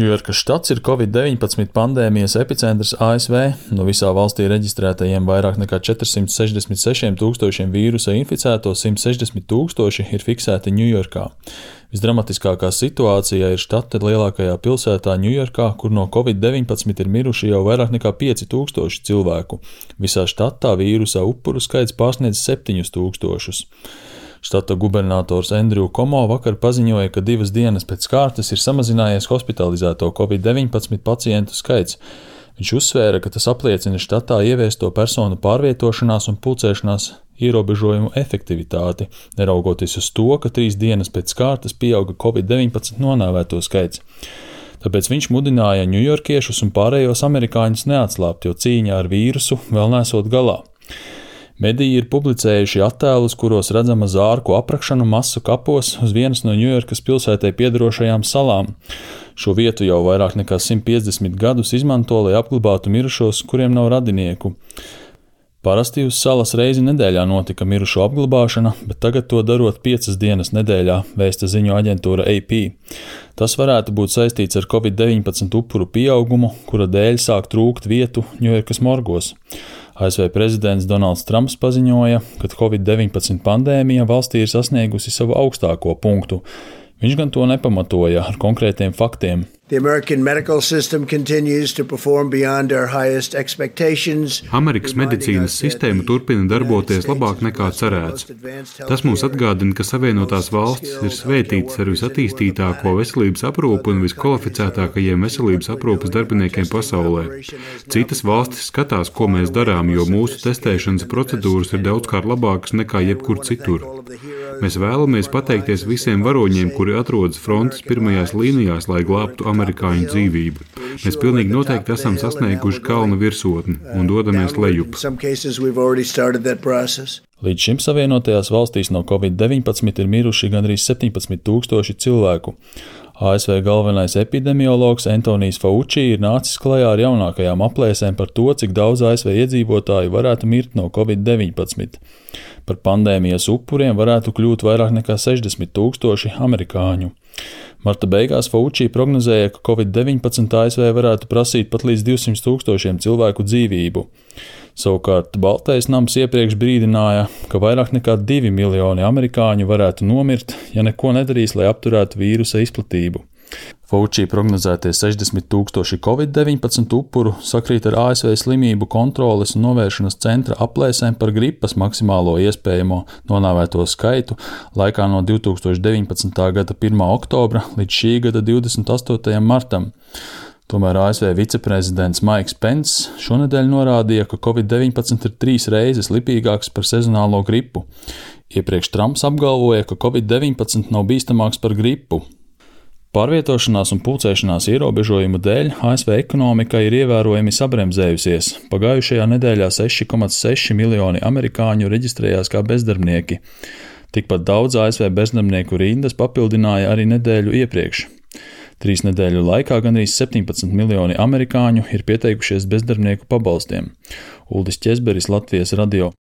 Ņujorkas štats ir Covid-19 pandēmijas epicentrs ASV. No visā valstī reģistrētajiem vairāk nekā 466 tūkstošiem vīrusa inficēto 160 tūkstoši ir fiksēti Ņujorkā. Visdramatiskākā situācija ir štata lielākajā pilsētā Ņujorkā, kur no Covid-19 ir miruši jau vairāk nekā 5000 cilvēku. Visā štatā vīrusa upuru skaits pārsniedz 7000. Štata gubernators Andrew Cuomo vakar paziņoja, ka 2 dienas pēc kārtas ir samazinājies hospitalizēto Covid-19 pacientu skaits. Viņš uzsvēra, ka tas apliecina štatā ieviesto personu pārvietošanās un pulcēšanās ierobežojumu efektivitāti, neraugoties uz to, ka 3 dienas pēc kārtas pieauga Covid-19 nonāvēto skaits. Tāpēc viņš mudināja ņujorkiešus un pārējos amerikāņus neatslābt, jo cīņa ar vīrusu vēl nesot galā. Mediji ir publicējuši attēlus, kuros redzama zārku aprakšanu masu kapos uz vienas no Ņujorkas pilsētai piederošajām salām. Šo vietu jau vairāk nekā 150 gadus izmanto, lai apglabātu mirušos, kuriem nav radinieku. Parasti uz salas reizi nedēļā notika mirušo apglabāšana, bet tagad to darot 5 dienas nedēļā, vēsta ziņu aģentūra AP. Tas varētu būt saistīts ar Covid-19 upuru pieaugumu, kura dēļ sāk trūkt vietu Ņujorkas morgos. ASV prezidents Donalds Trumps paziņoja, ka Covid-19 pandēmija valstī ir sasniegusi savu augstāko punktu. Viņš gan to nepamatoja ar konkrētiem faktiem. Amerikas medicīnas sistēma turpina darboties labāk nekā cerēts. Tas mums atgādina, ka Savienotās valstis ir svētītas ar visattīstītāko veselības aprūpi un viskvalificētākajiem veselības aprūpes darbiniekiem pasaulē. Citas valstis skatās, ko mēs darām, jo mūsu testēšanas procedūras ir daudzkārt labākas nekā jebkur citur. Mēs vēlamies pateikties visiem varoņiem, kuri atrodas frontes pirmajās līnijās, lai glābtu amerikāņu dzīvību. Mēs pilnīgi noteikti esam sasnieguši kalna virsotni un dodamies lejup. Līdz šim Savienotajās valstīs no Covid-19 ir miruši gandrīz 17 000 cilvēku. ASV galvenais epidemiologs Antonijs Fauci ir nācis klajā ar jaunākajām aplēsēm par to, cik daudz ASV iedzīvotāju varētu mirt no Covid-19. Par pandēmijas upuriem varētu kļūt vairāk nekā 60 000 amerikāņu. Marta beigās Fauci prognozēja, ka Covid-19 ASV varētu prasīt pat līdz 200 000 cilvēku dzīvību. Savukārt Baltais nams iepriekš brīdināja, ka vairāk nekā 2 miljoni amerikāņu varētu nomirt, ja neko nedarīs, lai apturētu vīrusa izplatību. Fauci prognozētie 60 000 Covid-19 upuru sakrīt ar ASV slimību kontroles un novēršanas centra aplēsēm par gripas maksimālo iespējamo nonāvēto skaitu laikā no 2019. gada 1. oktobra līdz šī gada 28. martam. Tomēr ASV viceprezidents Maiks Pence šonedēļ norādīja, ka Covid-19 ir 3 reizes lipīgāks par sezonālo gripu. Iepriekš Trumps apgalvoja, ka Covid-19 nav bīstamāks par gripu. Pārvietošanās un pulcēšanās ierobežojumu dēļ ASV ekonomika ir ievērojami sabremzējusies. Pagājušajā nedēļā 6,6 miljoni amerikāņu reģistrējās kā bezdarbnieki. Tikpat daudz ASV bezdarbnieku rindas papildināja arī nedēļu iepriekš. 3 nedēļu laikā gandrīz 17 miljoni amerikāņu ir pieteikušies bezdarbnieku pabalstiem. Uldis Ķezberis, Latvijas radio.